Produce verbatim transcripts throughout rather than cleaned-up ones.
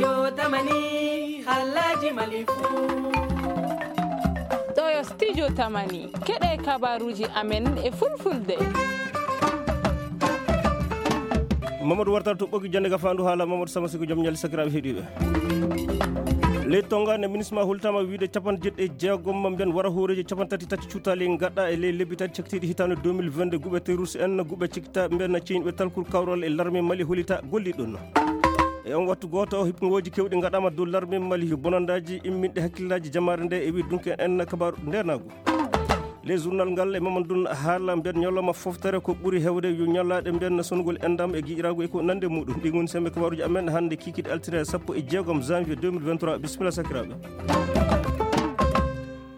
Yo tamani, halaji malifu. Ɗo yo studio tamani. Keɗe kabaruji amen e fulfulde. Mamadou Wartal to ɓogi jande ga fandu haala Mamadou Sama Siko joom ñalli sakiraaɓe heɗiɓe. Ley Tonga ne minisma hultama wiide capanɗe jeɗɗi e jeegom ma mbiyen wara hooreji capanɗe tati tati cuutali gaɗa e ley lebbi tati cakitiɗi hitande deux mille vingt-deux guɓe terus en guɓe cikta mbiyen na ceñɓe talkur kawral e larme mali holita golli ɗon. E on wattu gooto o hipngoji kewɗi gaɗama dow larme mali bonandaji imminɗe hakkillaji jamaare nde e wi dunke en kabaru ndenagu. Le journal ngal e mamadun haala mbiyen ñalawma foftere ko ɓuri hewde yo ñalaɗe mbiyen sonugol endam e giƴiragu e ko nande muɗum ɗi goni sembe kabaruji amen hande kikiɗe altine sappo e jeegom janvier deux mille vingt-trois bisimilla sakiraɓe.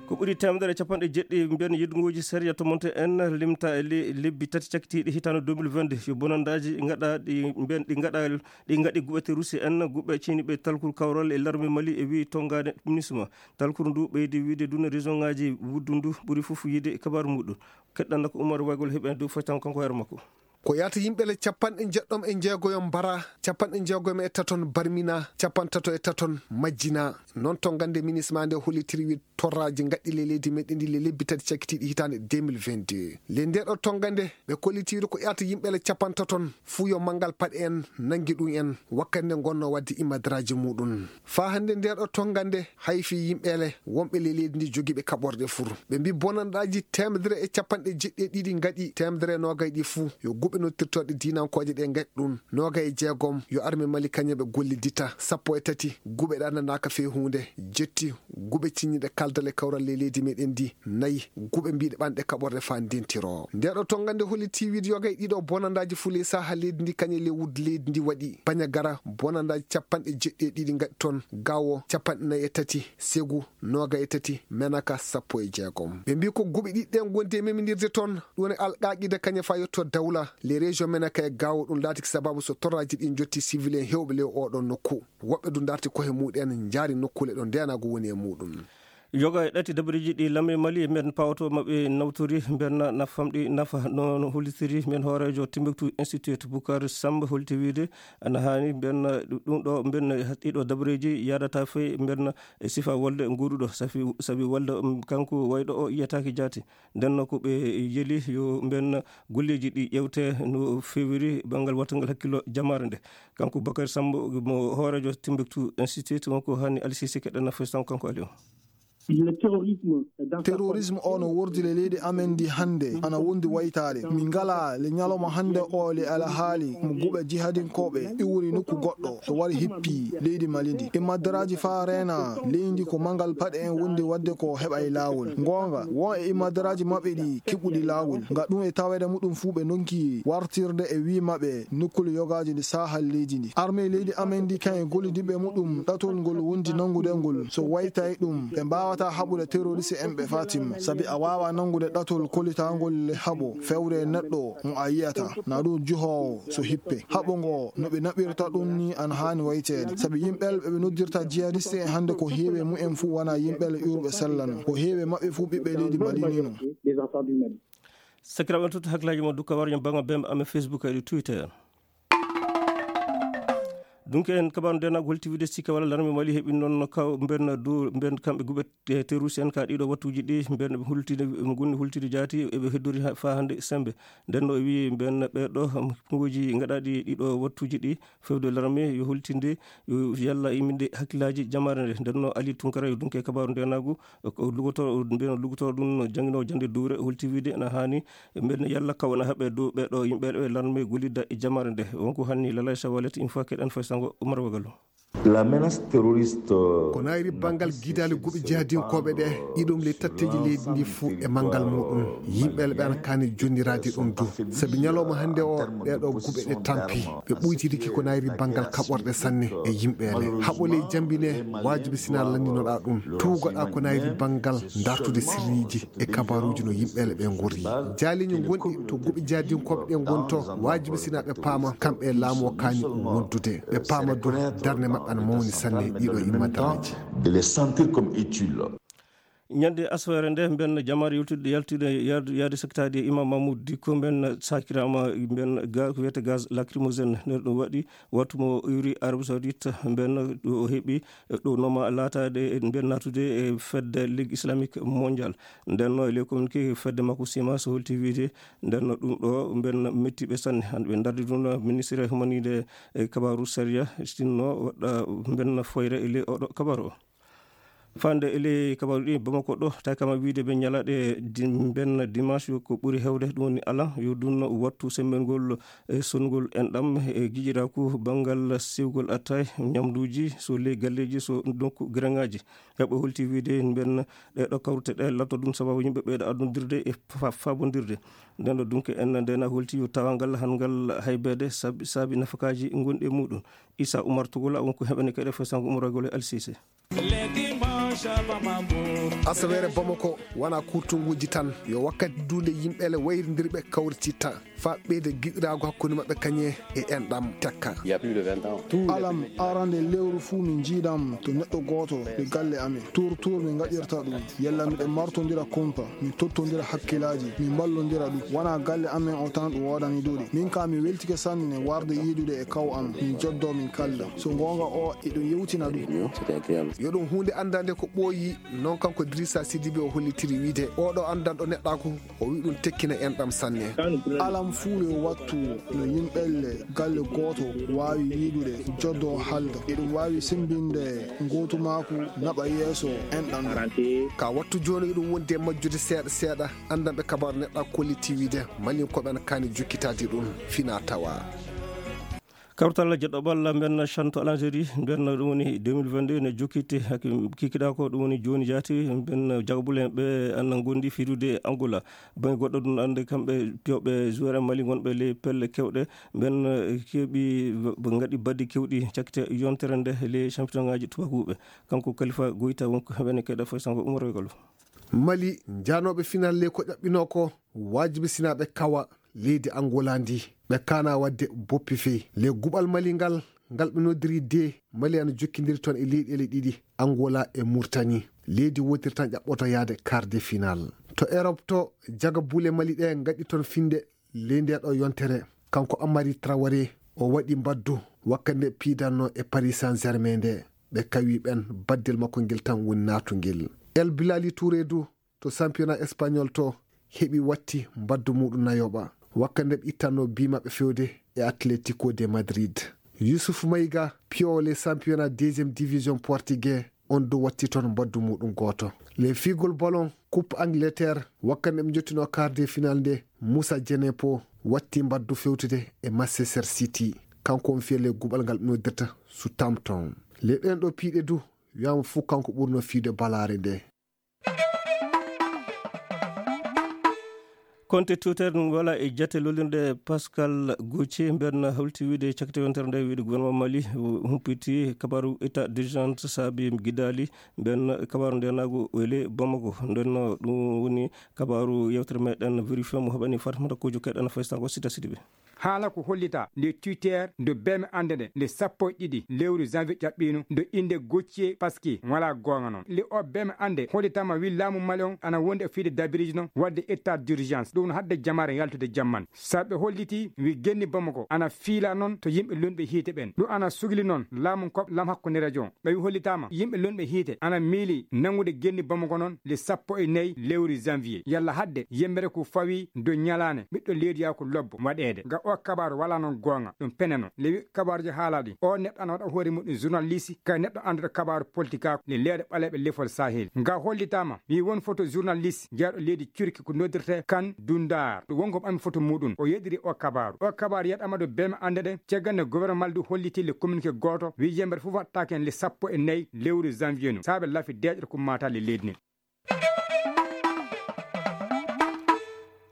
Ko ɓuri temedere e capanɗe jeɗɗi mbiyen yeddungoji sariya to monte en limta e le- lebbi tati cakkitiɗi hitande deux mille vingt-deux yo bonandaji gaɗa ɗi mbiyen ɗi gaɗa ɗi gaɗi guɓete rusi en guɓe ceniɓe talkuru kawral e larme mali e wi tongade minisma. Talkuru ndu ɓeydi wiide duna région ngaji wuddu ndu ɓuri fof yiide e kabaru muɗum. Keɗɗanno ko Oumar Waygol heɓen dow foytan kanko hoore makko. Ko yahata yimɓe le capanɗe jeɗɗom e jeegoyo mbara capanɗe jeegoyo e taton barmina capantato e taton majjina. Noon to gande minisma nde hollitiri wi torraji gaɗɗi le leydi meɗen ndi le lebbi tati cakkitiɗi hitande deux mille vingt-deux le nde ɗo tonga nde ɓe kollitiwde ko ƴaata yimɓe le capantaton fuu yo manngal paɗe en nanngi ɗum en wakkati nde ngonno waɗde imadraji muɗum. Faa hannde nde ɗo tonga nde hayfi yimɓe le wonɓe le leydi ndi jogiiɓe kaɓorɗe fur ɓe mbi bonanɗaji temedere e capanɗe jeɗɗi e ɗiɗi ngaɗi temedere e noogay ɗi fuu yo guɓe nottirtoɗe diinankooje ɗe ngaɗi ɗum noogay e jeegom yo arme mali kañum ɓe gollidita sappo e tati guɓe ɗannanaaka fee huunde jetti guɓe cinñiɗe kaldal e kawral le leydi meɗen ndi nayi guɓe mbiɗe ɓanɗe kaɓorɗe faa ndentiro nde ɗo tonga nde holli tiwiide yoga e ɗiɗo bonandaji fuu ley saha leydi ndi kañe le wudde leydi ndi waɗi baña gara bonandaji capanɗe jeɗɗi e ɗiɗi gaɗi toon gawo capanɗe nayi e tati segu noga e tati menaka sappo e jeegom ɓe mbi ko guɓe ɗiɗi ɗen gondi e meminirde toon ɗum e alqaqida kañe faa yetto dawla les régions menaka e gawo ɗum laatiki sababu so torraji ɗin jotti civil en hewɓe le oɗon nokku woɓɓe du darti kohe muɗen jaari nokkule ɗo ndenago woni e muɗum. Yoga e ɗati dabareji ɗi lamɓe mali mbiyen pawoto maɓɓe nawtori mbiyen nafamɗi nafa noon hollitiri mbiyen hoorejo timbuktu institute bukar samba holti wiide ana haani mbiyen ɗum ɗo mbiyen ɗiɗo dabareji yadata fey mbiyen e sifa wolde nguuɗuɗo safi sabi wolde kanko wayɗo o yiyataki jaati. Ndenno ko ɓe yeli yo mbiyen golleji ɗi ƴewte no fewiri banngal wattangal hakkillo jamaare nde. Kanko bakary sambo mo hoorejo timbuktu institute wonko hani alisisi keɗen nafoy tan kanko ali o. Terrorisme o no wordile leydi amen ndi hannde ana wondi waytaade min ngala le ñalawma hannde o le alhaali mo guɓe jihadinkoɓe iwri nokku goɗɗo so wari hippi leydi mali ndi immadaraaji faa reena leydi ko manngal paɗe en wondi waɗde ko heɓa e laawol ngoonga won e immadaraaji maɓɓe ɗi kiɓɓuɗi laawol nga ɗum e taweede muɗum fuu ɓe ndonki wartirde e wii maɓɓe nokkule yogaaji ndi saahal leydi ndi armee leydi amen ndi kan e gollidiɓe muɗum ɗatol ngol wondi nanngude ngol so waytay ɗum ɓe mbaawata haɓude terroriste en ɓe fatima sabi a waawa nanngude ɗatol kollitangol le haɓo fewre neɗɗo mo a yiyata na ɗum juhoowo so hippe haɓo ngo no ɓe naɓirta ɗum ni ana haani wayteede sabi yimɓel ɓe ɓe noddirta jihadiste en hannde ko heewi e mumen fuu wona yimɓel ƴuurɓe sellano ko heewi e maɓɓe fuu ɓiɓɓe leydi mbaɗinino. Sakiraaɓe en tottu hakkilaaji mon dukka waro ñam baŋa bemɓe amen facebook e twitter. Donc en kabaru ndenago holti wiide sikka walla larme mali heɓi noon kaw mben du mben kamɓe guɓe terroriste en ka ɗiɗo wattuji ɗi mben ɓe hultide ɓe gonni hultide jaati eɓe heddori fa hannde sembe. Nden no o wi mben ɓeɗo kongoji gaɗaɗi ɗiɗo wattuji ɗi fewde larme yo hultinde yo yalla imminde hakkillaji jamare nde. Nden no ali tunkara yo dunke kabaru ndenagu ko lugotoro mbiyen lugotoro ɗum no jannginoowo jannde duure holti wiide ena haani mbiyen yalla kaw ena haɓe dow ɓeɗo yimɓe ɓe larme gollida e jamaare nde wonko hanni lalay sawalet une fois keɗen fay sango umar wagalo. La menace terroriste. Ko nayri banngal gidaali guɓe jihadinkooɓe ɗe iɗum le tatteji leydi ndi fuu e manngal muɗum yimɓeele ɓe ana kaani jonniraade ɗum du sabi ñalawma hannde o ɓeɗo guɓe ɗe tampi ɓe ɓuytidiki ko nayri banngal kaɓorɗe sanne e yimɓeele haɓo ley jambine waajibi sina lanndinoɗa ɗum tuugoɗa ko nayri banngal dartude sirriiji e kabaruuji no yimɓeele ɓe ngorri jaaliñi gonɗi to guɓe jihadinkooɓe ɗe ngoni to waajibi sina ɓe paama kamɓe laamu o kaani wondude ɓe paama du darnde maɓɓe ana mawni sanne ɗiɗo immadaraaji. De les sentir comme utile. Ñande asawere nde, mben jamaare yaltude, yaltude, yaade, yaade sakkitaade e Imam Mahmoud Dikko, mben sakiraama, mben ga-, ko wiyete gaz lacrymogène. Nder ɗum waɗi, wattu mo iwri Arabie Saoudite, mben ɗo o heɓi, ɗo noma laataade, mben naatude e fedde Ligue Islamique Mondiale. Nden no, e ley communiqué fedde makko Sima, so holti wiide, nden no ɗum ɗo, mben mettiɓe sanne. Hande ɓe dardi ɗum, ministre humaniide e kabaaru sariya, sinno waɗa mben foyre e ley oɗo kabaaru o. Fande e ley kabaaru ɗi, Bamako ɗo, tawi kama wiide ɓe ñalaɗe dim-, mben dimanche ko ɓuri hewde, ɗum woni alan, yo ɗum wattu semmbengol e songol enɗam e giƴiraaku banngal siwgol attay, ñamduuji, so ley galleeji, so donc grengaji. Heɓe holti wiide mben ɗe ɗo kawrute ɗe latto ɗum sababu yimɓe ɓeyɗo addudirde e fa-, fabondirde. Nden ɗo dunke en ndena holti yo tawangal hangal haybeede saabi, saabi nafakaaji gonɗi e muɗum. Issa Oumar Togola won ko heɓani kadi fo sango umorogol e Al Cissé. Asawere Bamako wona kurtunguuji tan, yo wakkati duunde yimɓe le wayrindirɓe kawrititta, fa ɓeyde giɗiraago hakkunde maɓɓe kañe e enɗam tekka. Alam arande lewru fuu min njiidan to neɗɗo gooto e galle amin. Tuur tuur min ngaɗirta ɗum. Yalla miɗen martondira kumpa, min tottondira hakkilaaji, min mballondira ɗum. Wona galle amin o tan ɗum woodani duuɗi. Min kaa mi weltike sanne warde yiidude e kaw am, min joddo min kalda. So goonga o eɗum yewtina ɗum. Yo ɗum huunde anndande ko ɓooyi, non kanko Idrissa Sidibe o hollitiri wiide, oɗo anndanɗo neɗɗaaku, o wi ɗum tekkina enɗam sanne. Alam fuu yo wattu no yimɓelle galle gooto waawi yiidude, joddo halda. Eɗum waawi sembinde ngootumaaku naɓa yeeso enɗam ɗam. Ka wattu jooni eɗum wondi e majjude seeɗa seeɗa, anndanɓe kabaaru neɗɗaaku kolliti wiide, Malinkooɓe ana kaani jokkitaade ɗum fina tawa. Kawtal jeɗɗo ɓalla mben chanto à l'Algérie, mben ɗum woni deux mille vingt-deux ne jokkiti haki kikiɗa ko ɗum woni jooni jaati, mben jagabule ɓe anna gondi fidude Angola. Bangge goɗɗo ɗum ande kamɓe piyooɓe joueur en Mali gonɓe ley pelle kewɗe, mben, eh, keɓi, ɓe ngaɗi baddi kewɗi cakkite yontere nde ley championnat ngaji tubakuɓe. Kanko Khalifa Goita wonko heɓene keɗa foy sango umorogol. Mali, njanooɓe final ley ko ƴaɓɓinoo ko, waajibi sinaaɓe kawa leydi Angola ndi. Ɓe kaana waɗde boppi fey. Ley guɓal Mali ngal, ngal ɓe noddiri de, Mali ana jokkindiri toon e leyɗeele ɗiɗi, Angola e Murtani. Leydi wootiri tan ƴaɓɓoto yahde quart de final. To Europe to, jaga buule Mali ɗe ngaɗi toon finde ley nde ɗo yontere. Kanko Amari Traoré, o waɗi mbaddu wakkati nde piidanno e Paris Saint-Germain nde. Ɓe kawi ɓen, baddel makko ngel tan woni naatungel. El Bilali Touré du, to championnat espagnol to, heɓi watti mbaddu muɗum nayoɓa. Wakkati nde ɓe ittanno bi maɓɓe fewde e Atlético de Madrid. Yusuf Maiga, piyowo ley championnat deuxième division portugais, on du watti toon mbaddu muɗum gooto. Ley fiigol ballon, Coupe Angleterre, wakkati nde ɓe njottinoo quart de finale nde, Moussa Djenepo watti mbaddu fewtude e Manchester City. Kanko on fiya ley guɓal ngal ɓe noddirta Southampton. Ley ɗen ɗo piiɗe du, wiyaama fuu kanko ɓurno fiide balaare nde. Konte Twitter ɗum wala e jate lollirde Pascal Gauthier, mben hawti wiide cakkite yontere nde wiide gouvernement Mali humpiti kabaru état d'urgence saabi gidali, mben kabaru nde nagu wele Bamako. Nden no ɗum woni kabaru yewtere meɗen vérifié mo heɓani Fatmata Kojo keɗen faysango sita sidiɓe. Haala ko hollita nde Twitter nde beme annde nde, nde sappo e ɗiɗi lewru janvier ƴaɓɓiino, nde innde Gauthier Pasquier wala goonga noon. Nde o beme annde hollitama wi laamu Mali on ana wondi e fiide dabiriji noon wadde état d'urgence. Ɗum no hadde jamaare yaltude jamman. Saɓe holliti wi genni Bamako ana fiila noon to yimɓe lunɓe hiite ɓen. Ɗum ana sugli noon laamu koɓ lam hakkunderejo on. Ɓe wi hollitama yimɓe lunɓe hiite ana miili nanngude genni Bamako noon le sappo e nayi lewru janvier. Yalla hadde yembere ko fawi do ñalaane ɓiɗɗo leydi yaa ko lobbo waɗeede. Nga o kabaaru wala noon goonga, ɗum peneno. Le wi kabaaruji haala ɗi, o neɗɗo ana waɗa hoore muɗum journaliste, kay neɗɗo annduɗo kabaaru politique le leeɗe ɓaleeɓe lefol Sahel. Nga hollitama wi won photo journaliste jeyɗo leydi Turki ko noddirte Kan Dundar. Ɗum won ko ɓami photo muɗum. O yeɗiri o kabaaru. O kabaaru yeɗama ɗo beme annde ɗe, caggal nde gouvernement Mali du holliti le communiqué gooto, wi yembere fof waɗtaake heen le sappo e nayi lewru janvier no, saabe lafi deeƴre ko mata le leydi ndi.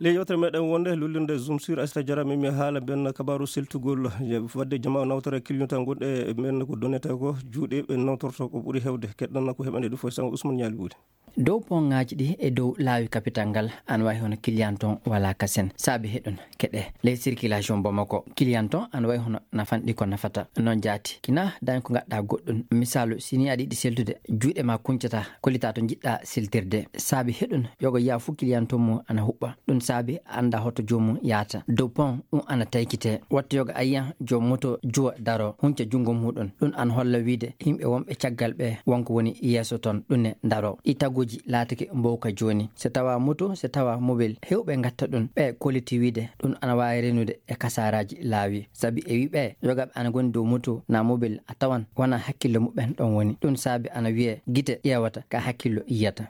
Ley yewtere meɗen wonde lullirde Zoom sur Aissata Diarra, min mi haala ben kabaaru seltugol, wadde jama nawtore client gonɗe men ko donete ko juuɗe ɓe nawtorto ko ɓuri hewde. Keɗɗan ko heɓande ɗum fof sango Ousmane Ñaali Buuli. Dow pont ŋaaji ɗi e dow laawi kapital ngal, ana wayi hono client ton wala kasen. Saabi heɗon keɗe ley circulation Bamako. Client ton ana wayi hono nafanɗi ko nafata. Noon jaati. Kina dañ ko ngaɗɗa goɗɗum. Misaalu, si ni aɗa yiɗi seltude, juuɗe ma kuncata, kollita to njiɗɗa seltirde. Saabi heɗon yoga yiya fu client ton mum ana huɓɓa. Ɗum saabi a annda hoto joomum yaata. Dow pont ɗum ana taykite. Watta yoga a yiya joom moto juwa daro, hunca junngo muɗum. Ɗum ana holla wiide yimɓe wonɓe caggal ɓe wonko woni yeeso ton, ɗum ne daro. Ɗi taguuji laatake mbowka jooni. So tawa moto, so tawa mobel, heewɓe ngatta ɗum. Ɓe kolliti wiide ɗum ana waawi renude e kasaaraaji laawi. Sabi e wiɓe yogaɓe ana ngoni dow moto na mobel, a tawan wona hakkillo muɓɓen ɗon woni. Ɗum saabi ana wiye gite ƴeewata ka hakkillo yiyata.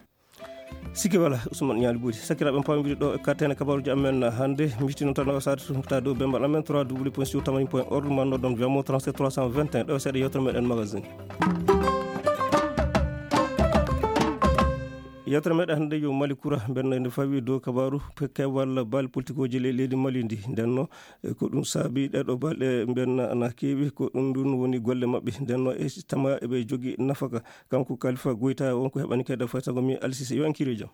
Sikke wala, Ousmane Ñaali Bodi. Sakiraaɓe, en paamondiri ɗo e kattene kabaruuji amen hannde. Mbiɗo tan wasaade sumta dow bembal amen trois w point siw tamani point org, ma noddon Vemo trente-sept trois cent vingt et un, ɗo seeɗa yewtere meɗen magazine. Yewtere meɗen hannde yo Mali kura, mben nde fawi dow kabaru pe-, keewal baali politikuuji le-, leydi Mali ndi. Nden no, e ko ɗum saabi ɗeɗo balɗe mben na, na keewi, ko ɗum ɗum woni golle maɓɓe. Nden no e tama eɓe jogi nafaka. Kanko Kalifa Goyta, wonko heɓani kede faytago mi Alsise, yo en kiire jam.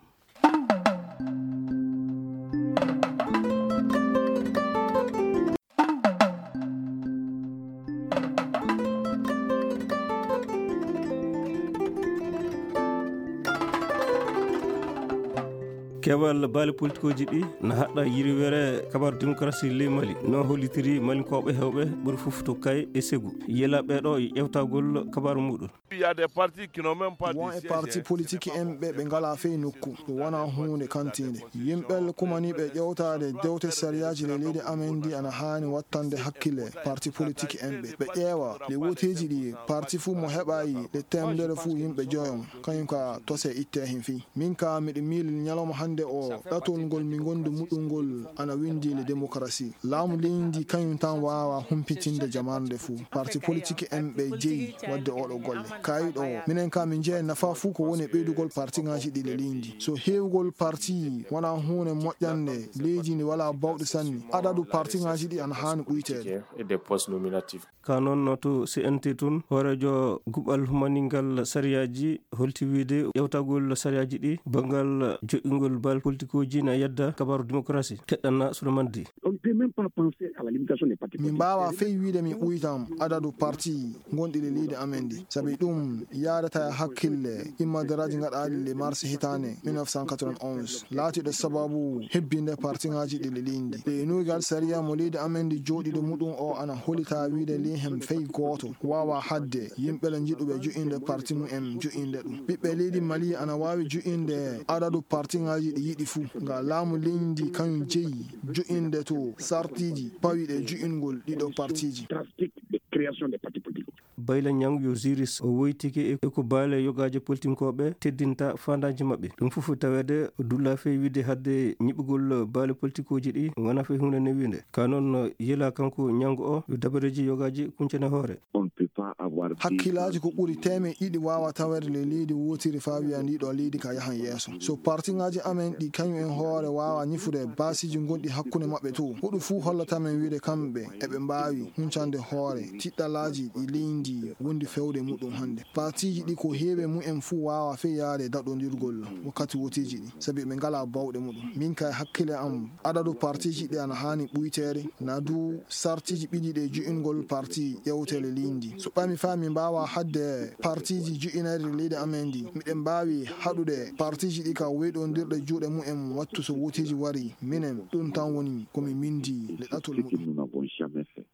Keewal baali politikuuji ɗi na haɗɗa yirwere kabaru démocratie ley Mali. No hollitiri Malinkooɓe heewɓe ɓuri fof to Kay e Segu. Yela ɓeɗo e ƴewtagol kabaru muɗum. Il y a des partis qui n'ont même pas de Won e siège, parti hein, politique ce n'est pas en ɓe, ɓe ngalaa fey nokku. Ɗum wonaa huunde kantiinde. Yimɓe kumaniiɓe ƴewtaade dewte sariyaaji le leydi amen ndi ana haani wattande hakkille parti politique en ɓe. Ɓe ƴeewa le woteeji ɗi, parti fuu mo heɓayi le teemedere fuu yimɓe joyo, kañum ka tose itte hen fii. Min ka miɗo miili ñalawma hannde o, ɗatol ngol mi ngondi muɗum ngol ana winndi le démocratie. Laamu leydi kañum tan waawa humpitinde jamaanu nde fuu. Parti politique en ɓe jeyi waɗde oɗo golle. Kayi ɗo, minen ka min jeeya nafa fuu ko woni e ɓeydugol parti ŋaaji ɗi le leydi. So heewgol parti wonaa huunde moƴƴande leydi ndi, walaa bawɗe sanne. Adadu parti ŋaaji ɗi ana haani ɓuyteede. Et des postes nominatifs. Ka noon to C N T tun, hooreejo guɓal humaningal sariyaaji holti wiide ƴewtagol sariyaaji ɗi, banngal joƴƴingol baali politikuuji na yedda kabaru démocratie. Keɗɗana Souleymane Di. On ne peut même pas penser à la limitation des partis Min politiques. Mbaawa fey wiide min ɓuytam adadu parti gonɗi le leydi amen ndi. Sabi ɗum yaadata e hakkille immadaraaji gaɗaaɗi le mars hitaande mille neuf cent quatre-vingt-onze. Laatiiɗo sababu hebbinde parti ŋaaji ɗi le leydi ndi. Ɗe nuugal sariya mo leydi amen ndi jooɗiiɗo muɗum o ana hollita wiide ley hen fey gooto waawa haɗde yimɓe le njiɗuɓe joƴƴinde parti mum en joƴƴinde ɗum. Ɓiɓɓe leydi Mali ana waawi joƴƴinde adadu parti ŋaaji ɗi yiɗi fuu. Nga laamu leydi ndi kañum jeyi joƴƴinde to sartiiji pawiiɗe joƴƴingol ɗiɗo partiiji. Drastique de création des partis politiques. Bayla Ñang yo Ziris o woytike e, e ko baale yogaaje politinkooɓe teddinta faandaaji maɓɓe. Ɗum fof taweede dulla fey wiide hadde ñiɓugol baale politikuuji ɗi wona fey huunde newiinde. Ka noon yela kanko Ñang o yo dabareeji yogaaji kuncane hoore. On ne peut pas avoir Hakkillaaji ko ɓuri teemeɗɗe ɗiɗi waawa taweede le leydi wootiri faa wiya ndi ɗo leydi ka yahan yeeso. So parti ŋaaji amen ɗi kañum en hoore waawa ñifude baasiiji gonɗi hakkunde maɓɓe to, ko ɗum fuu hollata men wiide kamɓe eɓe mbaawi huncande hoore tiɗɗalaaji ɗi leydi wondi fewde muɗum hannde. Partiiji ɗi ko heewi mumen fuu waawa fey yaade daɗondirgol wakkati woteeji ɗi, sabi ɓe ngalaa bawɗe muɗum. Min kay hakkille am, adadu partiiji ɗi ana haani ɓuyteede, na du sartiiji ɓiɗi ɗe jo'ingol parti ƴewtele leydi. So ɓami faa mi mbaawa haɗde partiiji jo'inayɗi leydi amen ndi, miɗen mbaawi haɗude partiiji ɗi ka weyɗondirɗe juuɗe mumen wattu so woteeji wari. Minen, ɗum tan woni ko mi mindi le ɗatol muɗum.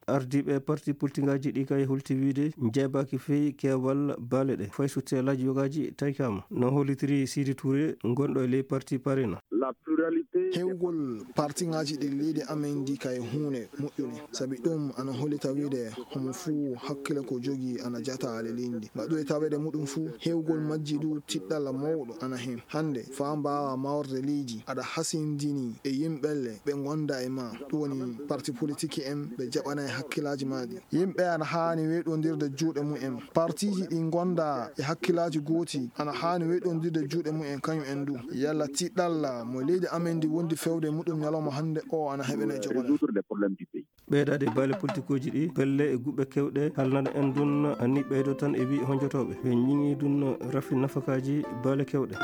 Ardiiɓe parti politiŋaaji ɗi kay holti wiide njeebaaki fey keewal baale ɗe, fay so teelaaji yogaaji taykaama. No hollitiri Sidi Touré, gonɗo e ley parti Parena. La pluralité. Heewgol partiŋaaji ɗi leydi amen ndi kay huunde moƴƴunde, sabi ɗum ana hollita wiide homo fuu hakkille ko jogii ana jata le leydi ndi. Ngaɗu e taweede muɗum fuu, heewgol majji du tiɗɗalla mawɗo ana heen. Hannde, faa mbaawa mawrde leydi, aɗa hasindini e yimɓe le ɓe ngonda e ma, ɗum woni parti politique en ɓe jaɓanay hakkillaaji ma ɗi. Yimɓe ana haani weyɗondirde juuɗe mumen. Partiiji ɗi ngonda e hakkillaaji gooti ana haani weyɗondirde juuɗe mumen kañum en du. Yalla tiɗɗalla mo leydi amen ndi wondi fewde muɗum ñalawma hannde o ana heɓene jogoɗen. Résoudre les problèmes du pays. Ɓeydaade baale politikuuji ɗi, pelle e guɓe keewɗe halnana en ɗum, anni ɓeydo tan e wi honjotooɓe. Ɓe ñiŋi ɗum rafi nafakaaji baale keewɗe.